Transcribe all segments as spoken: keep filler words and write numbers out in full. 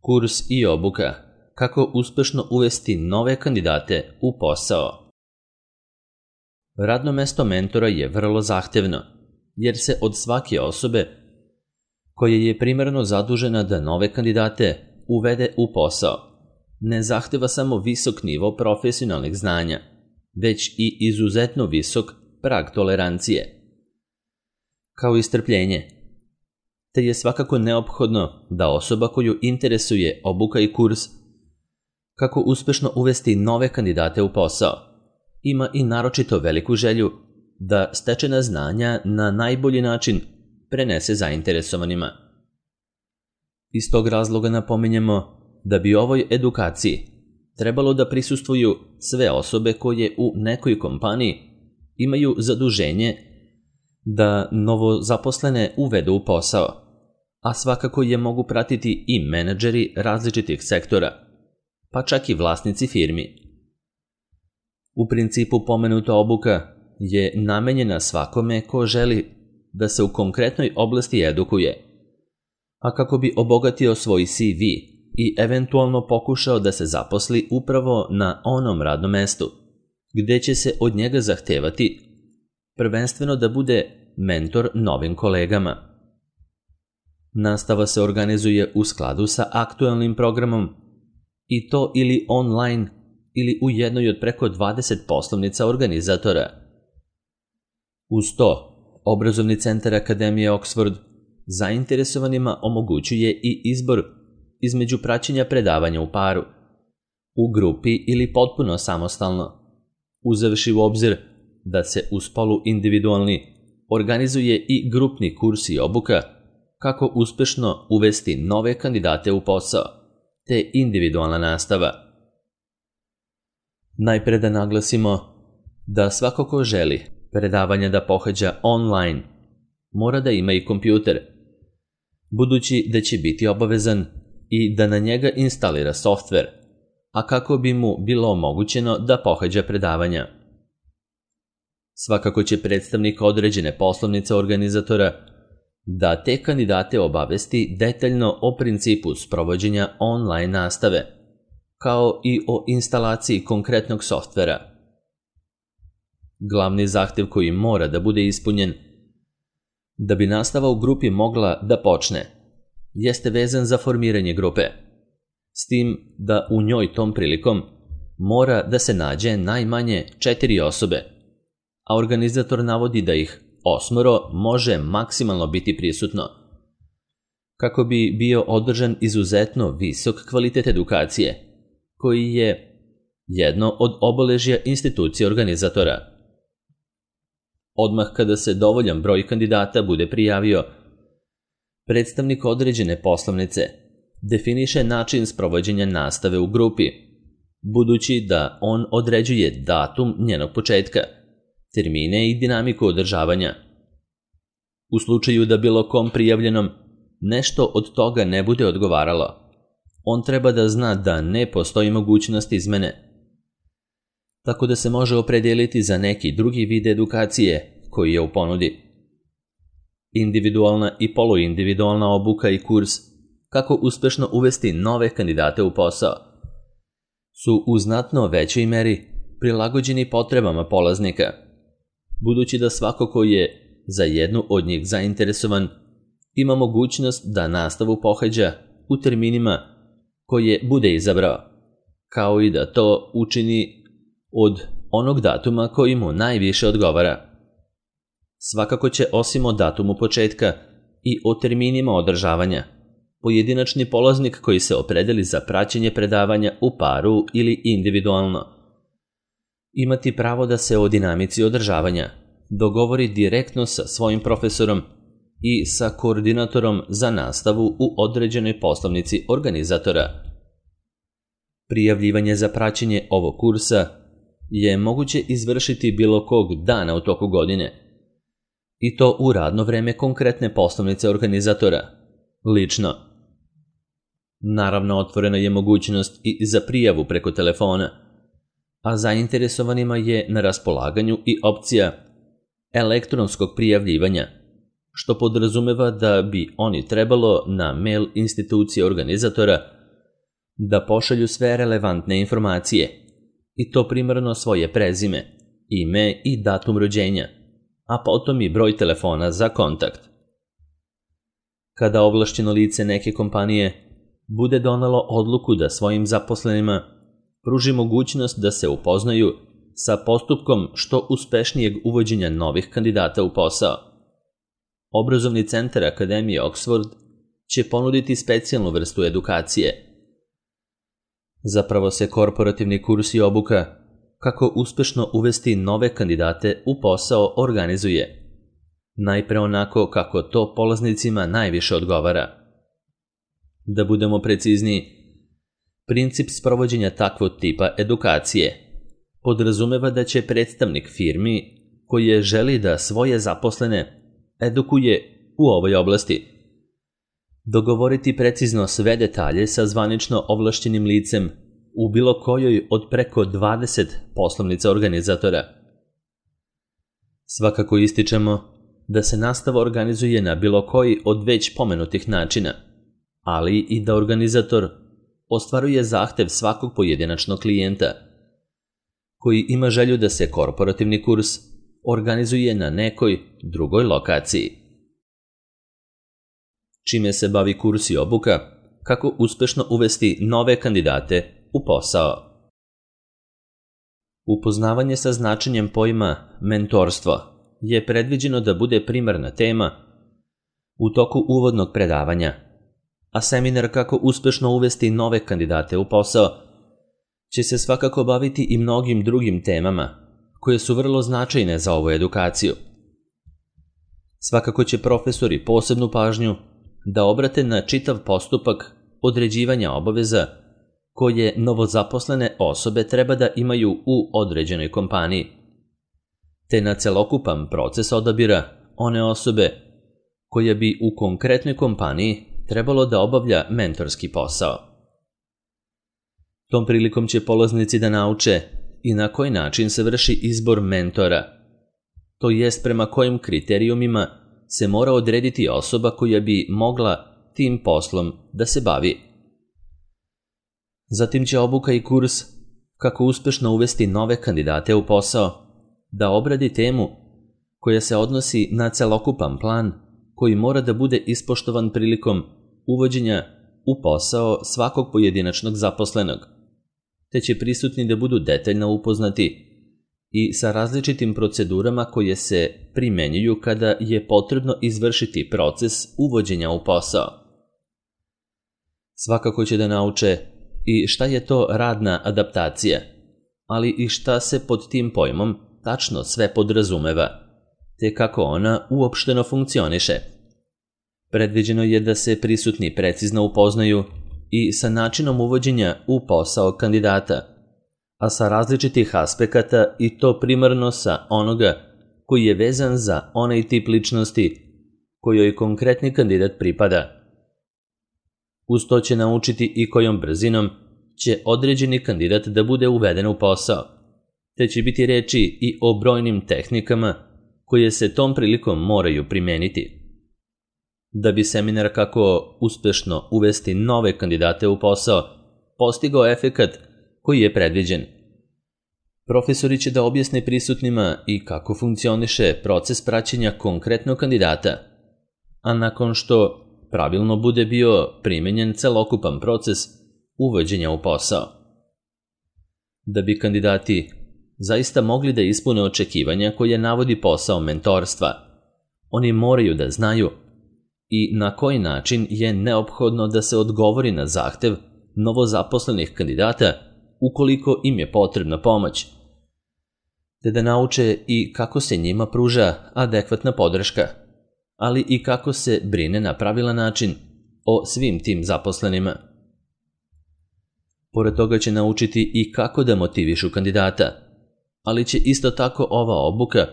Kurs i obuka. Kako uspešno uvesti nove kandidate u posao. Radno mesto mentora je vrlo zahtevno, jer se od svake osobe koja je primarno zadužena da nove kandidate uvede u posao, ne zahteva samo visok nivo profesionalnih znanja, već i izuzetno visok prag tolerancije, kao i strpljenje, te je svakako neophodno da osoba koju interesuje obuka i kurs kako uspešno uvesti nove kandidate u posao ima i naročito veliku želju da stečena znanja na najbolji način prenese zainteresovanima. Iz tog razloga napominjemo da bi ovoj edukaciji trebalo da prisustvuju sve osobe koje u nekoj kompaniji imaju zaduženje da novozaposlene uvedu u posao, a svakako je mogu pratiti i menadžeri različitih sektora, pa čak i vlasnici firmi. U principu pomenuta obuka je namenjena svakome ko želi da se u konkretnoj oblasti edukuje, a kako bi obogatio svoj C V i eventualno pokušao da se zaposli upravo na onom radnom mestu, gde će se od njega zahtevati prvenstveno da bude mentor novim kolegama. Nastava se organizuje u skladu sa aktuelnim programom i to ili online ili u jednoj od preko dvadeset poslovnica organizatora. Uz to, Obrazovni centar Akademije Oxford zainteresovanima omogućuje i izbor između praćenja predavanja u paru, u grupi ili potpuno samostalno, uzevši u obzir da se uz poluindividualni organizuje i grupni kurs i obuka kako uspešno uvesti nove kandidate u posao, te individualna nastava. Najpre da naglasimo da svako ko želi predavanja da pohađa online mora da ima i kompjuter, budući da će biti obavezan i da na njega instalira softver, a kako bi mu bilo omogućeno da pohađa predavanja. Svakako će predstavnik određene poslovnice organizatora da te kandidate obavesti detaljno o principu sprovođenja online nastave, kao i o instalaciji konkretnog softvera. Glavni zahtev koji mora da bude ispunjen da bi nastava u grupi mogla da počne jeste vezan za formiranje grupe, s tim da u njoj tom prilikom mora da se nađe najmanje četiri osobe, a organizator navodi da ih osmoro može maksimalno biti prisutno, kako bi bio održan izuzetno visok kvalitet edukacije, koji je jedno od obeležja institucije organizatora. Odmah kada se dovoljan broj kandidata bude prijavio, predstavnik određene poslovnice definiše način sprovođenja nastave u grupi, budući da on određuje datum njenog početka, termine i dinamiku održavanja. U slučaju da bilo kom prijavljenom nešto od toga ne bude odgovaralo, on treba da zna da ne postoji mogućnost izmene, tako da se može opredeliti za neki drugi vid edukacije koji je u ponudi. Individualna i poluindividualna obuka i kurs kako uspešno uvesti nove kandidate u posao su u znatno većoj meri prilagođeni potrebama polaznika, budući da svako ko je za jednu od njih zainteresovan ima mogućnost da nastavu pohađa u terminima koje bude izabrao, kao i da to učini od onog datuma koji mu najviše odgovara. Svakako će osim o datumu početka i o terminima održavanja, pojedinačni polaznik koji se opredeli za praćenje predavanja u paru ili individualno imati pravo da se o dinamici održavanja dogovori direktno sa svojim profesorom i sa koordinatorom za nastavu u određenoj poslovnici organizatora. Prijavljivanje za praćenje ovog kursa je moguće izvršiti bilo kog dana u toku godine, i to u radno vreme konkretne poslovnice organizatora, lično. Naravno, otvorena je mogućnost i za prijavu preko telefona, a zainteresovanima je na raspolaganju i opcija elektronskog prijavljivanja, što podrazumeva da bi oni trebalo na mail institucije organizatora da pošalju sve relevantne informacije, i to primarno svoje prezime, ime i datum rođenja, a potom i broj telefona za kontakt. Kada ovlašćeno lice neke kompanije bude donelo odluku da svojim zaposlenima pruži mogućnost da se upoznaju sa postupkom što uspešnijeg uvođenja novih kandidata u posao, Obrazovni centar Akademije Oxford će ponuditi specijalnu vrstu edukacije. Zapravo se korporativni kurs i obuka kako uspešno uvesti nove kandidate u posao organizuje, najpre onako kako to polaznicima najviše odgovara. Da budemo precizniji, princip sprovođenja takvog tipa edukacije podrazumeva da će predstavnik firmi koji je želi da svoje zaposlene edukuje u ovoj oblasti dogovoriti precizno sve detalje sa zvanično ovlašćenim licem u bilo kojoj od preko dvadeset poslovnica organizatora. Svakako ističemo da se nastava organizuje na bilo koji od već pomenutih načina, ali i da organizator ostvaruje zahtev svakog pojedinačnog klijenta koji ima želju da se korporativni kurs organizuje na nekoj drugoj lokaciji. Čime se bavi kurs i obuka, kako uspešno uvesti nove kandidate u posao. Upoznavanje sa značenjem pojma mentorstvo je predviđeno da bude primarna tema u toku uvodnog predavanja, a seminar kako uspešno uvesti nove kandidate u posao će se svakako baviti i mnogim drugim temama koje su vrlo značajne za ovu edukaciju. Svakako će profesori posebnu pažnju da obrate na čitav postupak određivanja obaveza koje novozaposlene osobe treba da imaju u određenoj kompaniji, te na celokupan proces odabira one osobe koja bi u konkretnoj kompaniji trebalo da obavlja mentorski posao. Tom prilikom će polaznici da nauče i na koji način se vrši izbor mentora, to jest prema kojim kriterijumima se mora odrediti osoba koja bi mogla tim poslom da se bavi. Zatim će obuka i kurs kako uspešno uvesti nove kandidate u posao da obradi temu koja se odnosi na celokupan plan koji mora da bude ispoštovan prilikom uvođenja u posao svakog pojedinačnog zaposlenog, te će prisutni da budu detaljno upoznati i sa različitim procedurama koje se primenjuju kada je potrebno izvršiti proces uvođenja u posao. Svakako će da nauče i šta je to radna adaptacija, ali i šta se pod tim pojmom tačno sve podrazumeva, te kako ona uopšteno funkcioniše. Predviđeno je da se prisutni precizno upoznaju i sa načinom uvođenja u posao kandidata, a sa različitih aspekata i to primarno sa onoga koji je vezan za onaj tip ličnosti kojoj konkretni kandidat pripada. Uz to će naučiti i kojom brzinom će određeni kandidat da bude uveden u posao, te će biti reči i o brojnim tehnikama koje se tom prilikom moraju primeniti. Da bi seminar kako uspešno uvesti nove kandidate u posao postigao efekat koji je predviđen, profesori će da objasne prisutnima i kako funkcioniše proces praćenja konkretnog kandidata, a nakon što pravilno bude bio primenjen celokupan proces uvođenja u posao. Da bi kandidati zaista mogli da ispune očekivanja koje navodi posao mentorstva, oni moraju da znaju i na koji način je neophodno da se odgovori na zahtev novozaposlenih kandidata ukoliko im je potrebna pomoć, te da nauče i kako se njima pruža adekvatna podrška, ali i kako se brine na pravilan način o svim tim zaposlenima. Pored toga će naučiti i kako da motivišu kandidata, ali će isto tako ova obuka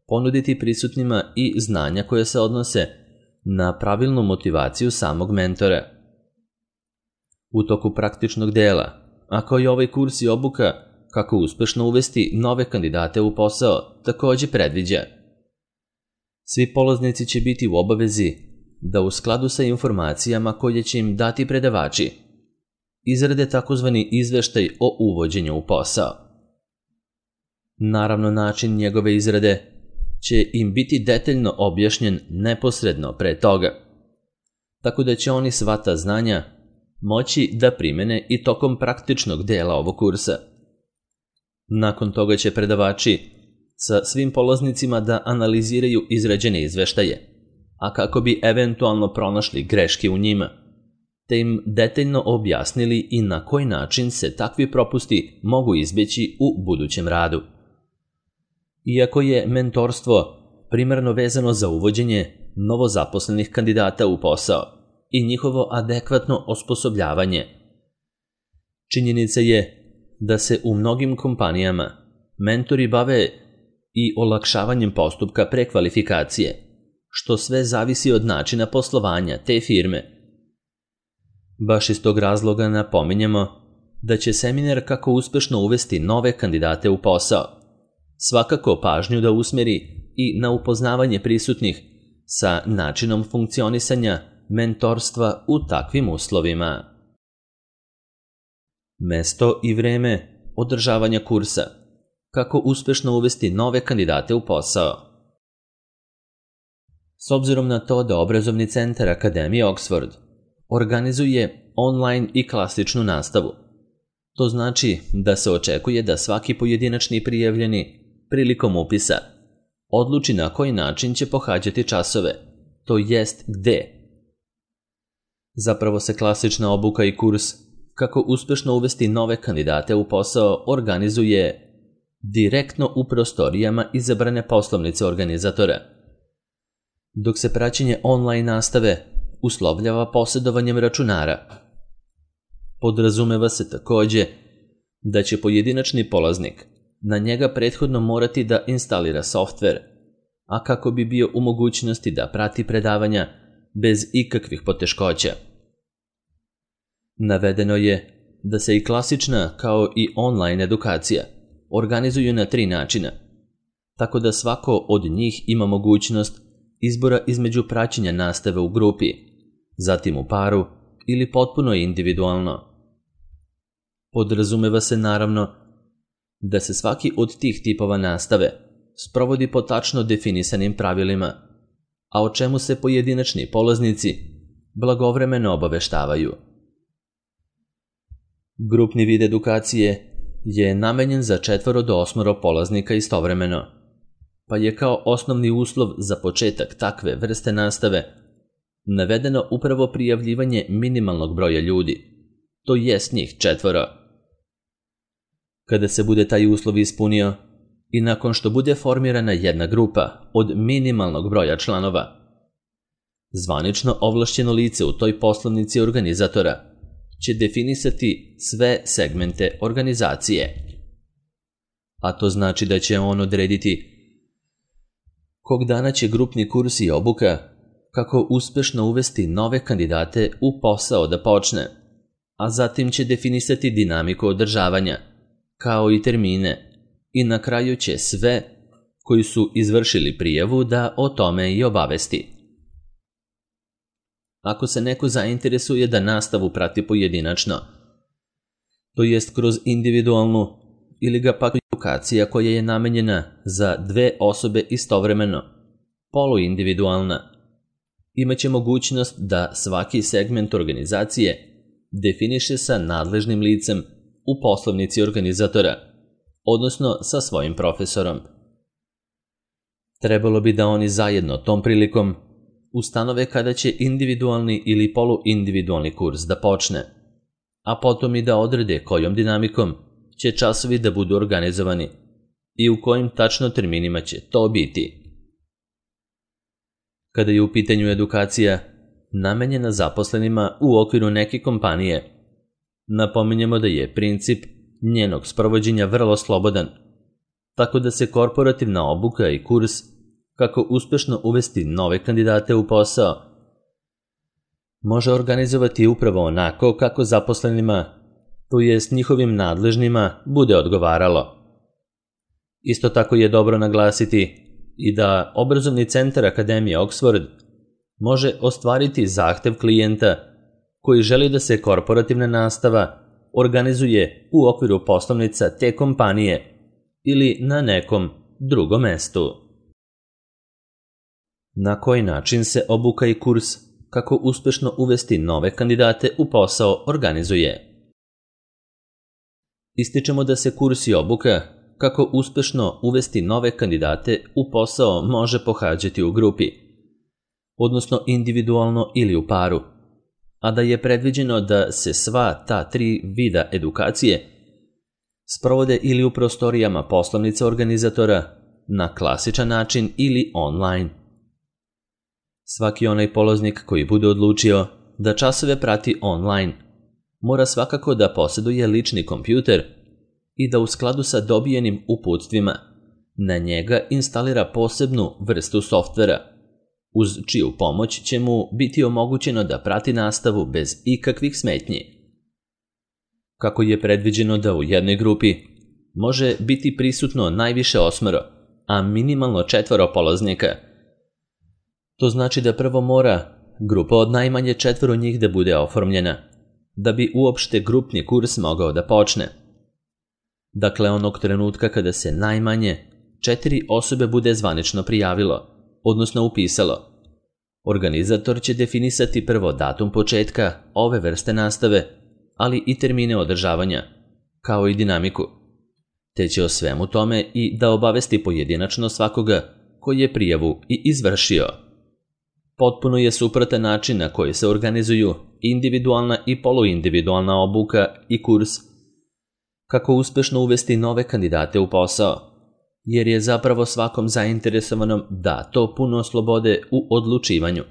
ponuditi prisutnima i znanja koje se odnose na pravilnu motivaciju samog mentora. U toku praktičnog dela, ako je ovaj kurs i obuka kako uspešno uvesti nove kandidate u posao, takođe predviđa. Svi polaznici će biti u obavezi da u skladu sa informacijama koje će im dati predavači izrade takozvani izveštaj o uvođenju u posao. Naravno, način njegove izrade će im biti detaljno objašnjen neposredno pre toga, tako da će oni sva ta znanja moći da primene i tokom praktičnog dela ovog kursa. Nakon toga će predavači sa svim polaznicima da analiziraju izrađene izveštaje, a kako bi eventualno pronašli greške u njima, te im detaljno objasnili i na koji način se takvi propusti mogu izbjeći u budućem radu. Iako je mentorstvo primarno vezano za uvođenje novozaposlenih kandidata u posao i njihovo adekvatno osposobljavanje, činjenica je da se u mnogim kompanijama mentori bave i olakšavanjem postupka prekvalifikacije, što sve zavisi od načina poslovanja te firme. Baš iz tog razloga napominjemo da će seminar kako uspešno uvesti nove kandidate u posao svakako pažnju da usmeri i na upoznavanje prisutnih sa načinom funkcionisanja mentorstva u takvim uslovima. Mesto i vreme održavanja kursa. Kako uspešno uvesti nove kandidate u posao. S obzirom na to da obrazovni centar Akademije Oxford organizuje online i klasičnu nastavu, to znači da se očekuje da svaki pojedinačni prijavljeni prilikom upisa odluči na koji način će pohađati časove, to jest gde. Zapravo se klasična obuka i kurs kako uspešno uvesti nove kandidate u posao organizuje direktno u prostorijama izabrane poslovnice organizatora, dok se praćenje online nastave uslovljava posjedovanjem računara. Podrazumeva se takođe da će pojedinačni polaznik na njega prethodno morati da instalira softver, a kako bi bio u mogućnosti da prati predavanja bez ikakvih poteškoća. Navedeno je da se i klasična kao i online edukacija organizuju na tri načina, tako da svako od njih ima mogućnost izbora između praćenja nastave u grupi, zatim u paru ili potpuno individualno. Podrazumeva se naravno da se svaki od tih tipova nastave sprovodi po tačno definisanim pravilima, a o čemu se pojedinačni polaznici blagovremeno obaveštavaju. Grupni vid edukacije je namenjen za četvoro do osmoro polaznika istovremeno, pa je kao osnovni uslov za početak takve vrste nastave navedeno upravo prijavljivanje minimalnog broja ljudi, to jest njih četvoro. Kada se bude taj uslov ispunio i nakon što bude formirana jedna grupa od minimalnog broja članova, zvanično ovlašćeno lice u toj poslovnici organizatora će definisati sve segmente organizacije. A to znači da će on odrediti kog dana će grupni kurs i obuka kako uspešno uvesti nove kandidate u posao da počne, a zatim će definisati dinamiku održavanja, kao i termine, i na kraju će sve koji su izvršili prijavu da o tome i obavesti. Ako se neko zainteresuje da nastavu prati pojedinačno, to jest kroz individualnu ili ga pak edukacija koja je namenjena za dve osobe istovremeno, poluindividualna, imaće mogućnost da svaki segment organizacije definiše sa nadležnim licem u poslovnici organizatora, odnosno sa svojim profesorom. Trebalo bi da oni zajedno tom prilikom ustanove kada će individualni ili poluindividualni kurs da počne, a potom i da odrede kojom dinamikom će časovi da budu organizovani i u kojim tačno terminima će to biti. Kada je u pitanju edukacija namenjena zaposlenima u okviru neke kompanije, napominjemo da je princip njenog sprovođenja vrlo slobodan, tako da se korporativna obuka i kurs kako uspešno uvesti nove kandidate u posao može organizovati upravo onako kako zaposlenima, to jest njihovim nadležnima, bude odgovaralo. Isto tako je dobro naglasiti i da obrazovni centar Akademije Oxford može ostvariti zahtev klijenta koji želi da se korporativna nastava organizuje u okviru poslovnica te kompanije ili na nekom drugom mestu. Na koji način se obuka i kurs kako uspešno uvesti nove kandidate u posao organizuje? Ističemo da se kurs i obuka kako uspešno uvesti nove kandidate u posao može pohađati u grupi, odnosno individualno ili u paru, a da je predviđeno da se sva ta tri vida edukacije sprovode ili u prostorijama poslovnice organizatora na klasičan način ili online. Svaki onaj polaznik koji bude odlučio da časove prati online mora svakako da posjeduje lični kompjuter i da u skladu sa dobijenim uputstvima na njega instalira posebnu vrstu softvera, uz čiju pomoć će mu biti omogućeno da prati nastavu bez ikakvih smetnji. Kako je predviđeno da u jednoj grupi može biti prisutno najviše osmoro, a minimalno četvoro polaznika, to znači da prvo mora grupa od najmanje četvoro njih da bude oformljena, da bi uopšte grupni kurs mogao da počne. Dakle, onog trenutka kada se najmanje četiri osobe bude zvanično prijavilo, odnosno upisalo, organizator će definisati prvo datum početka ove vrste nastave, ali i termine održavanja, kao i dinamiku, te će o svemu tome i da obavesti pojedinačno svakoga koji je prijavu i izvršio. Potpuno je suprotan način na koji se organizuju individualna i poluindividualna obuka i kurs kako uspešno uvesti nove kandidate u posao, jer je zapravo svakom zainteresovanom da to puno slobode u odlučivanju.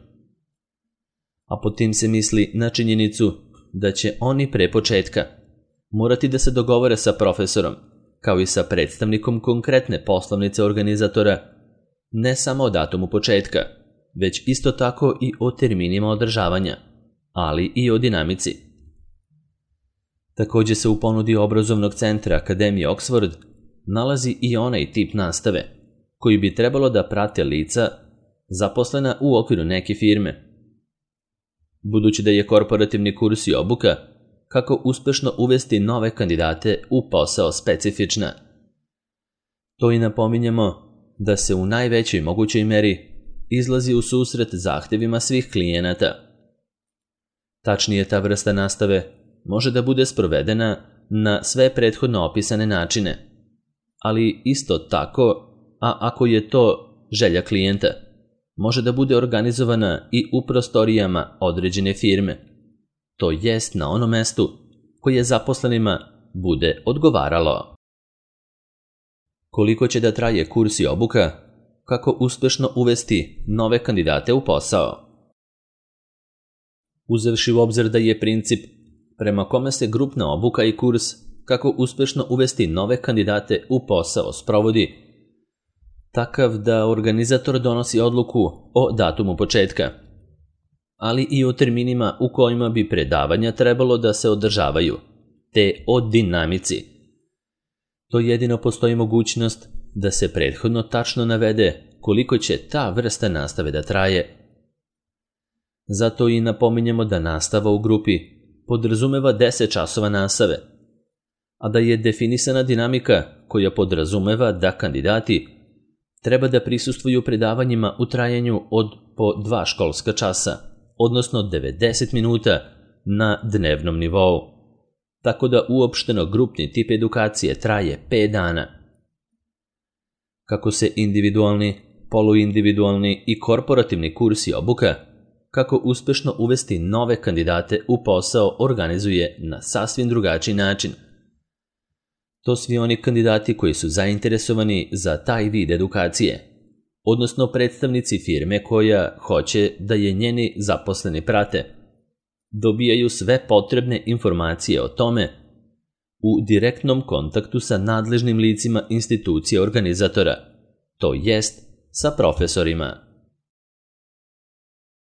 A pod tim se misli na činjenicu da će oni pre početka morati da se dogovore sa profesorom, kao i sa predstavnikom konkretne poslovnice organizatora, ne samo o datumu početka, već isto tako i o terminima održavanja, ali i o dinamici. Također se u ponudi obrazovnog centra Akademije Oxford nalazi i onaj tip nastave, koji bi trebalo da prate lica zaposlena u okviru neke firme. Budući da je korporativni kurs i obuka kako uspešno uvesti nove kandidate u posao specifična, to i napominjemo da se u najvećoj mogućoj meri izlazi u susret zahtevima svih klijenata. Tačnije, ta vrsta nastave može da bude sprovedena na sve prethodno opisane načine, ali isto tako, a ako je to želja klijenta, može da bude organizovana i u prostorijama određene firme, to jest na onom mestu koje zaposlenima bude odgovaralo. Koliko će da traje kurs i obuka kako uspešno uvesti nove kandidate u posao? Uzevši u obzir da je princip prema kome se grupna obuka i kurs kako uspešno uvesti nove kandidate u posao sprovodi takav da organizator donosi odluku o datumu početka, ali i o terminima u kojima bi predavanja trebalo da se održavaju, te o dinamici. To jedino postoji mogućnost da se prethodno tačno navede koliko će ta vrsta nastave da traje. Zato i napominjemo da nastava u grupi podrazumeva deset časova nastave, a da je definisana dinamika koja podrazumeva da kandidati treba da prisustvuju predavanjima u trajanju od po dva školska časa, odnosno devedeset minuta na dnevnom nivou, tako da uopšteno grupni tip edukacije traje pet dana. Kako se individualni, poluindividualni i korporativni kurs i obuka kako uspešno uvesti nove kandidate u posao organizuje na sasvim drugačiji način. To svi oni kandidati koji su zainteresovani za taj vid edukacije, odnosno predstavnici firme koja hoće da je njeni zaposleni prate, dobijaju sve potrebne informacije o tome u direktnom kontaktu sa nadležnim licima institucije organizatora, to jest sa profesorima.